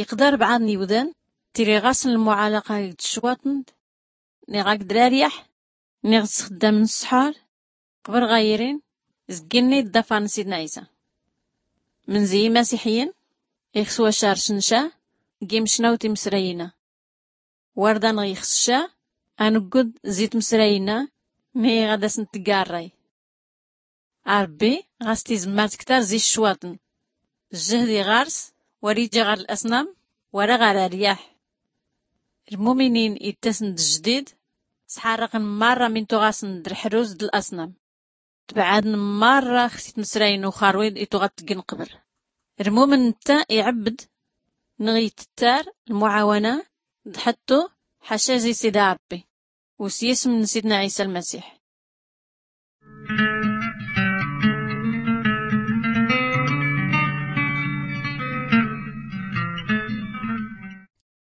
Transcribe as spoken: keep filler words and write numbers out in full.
Iqdar bɛɛḍ n-iwdan tiri ɣasn lmuɛalaqaq d-ccwaṭn, niɣ akd raryaḥ, niɣ d-sxddam n-ssḥur, qbr ɣayrin, zgin-nni d-ḍafar n-sidna ɛisa. Mnzi imasiḥyin ixs wacar cnca g-imcnaw timsrayin-a. Warḍa nɣ-ixs ca anggud zi tmsrayin-a, mi ɣad-asn-tgga rray. Arbbi ɣas tizmmar tktar zi ccwaṭn, jjhd iɣars war-ija ɣar l-asnam wara ɣar aryaḥ. Lmuminin ittasn d-jjdid, sḥarrqn marra min tuɣasn d-lḥruz d-lasnam, tbɛadn marra xsi tmsrayin n-uxarwid ituɣa tgn qbr. Lmumin ntta iɛbbd nɣ-ittar lmuɛawana d-ḥṭṭu ḥaca zi sida rbbi, u s-yism n-sidna ɛisa lmasiḥ.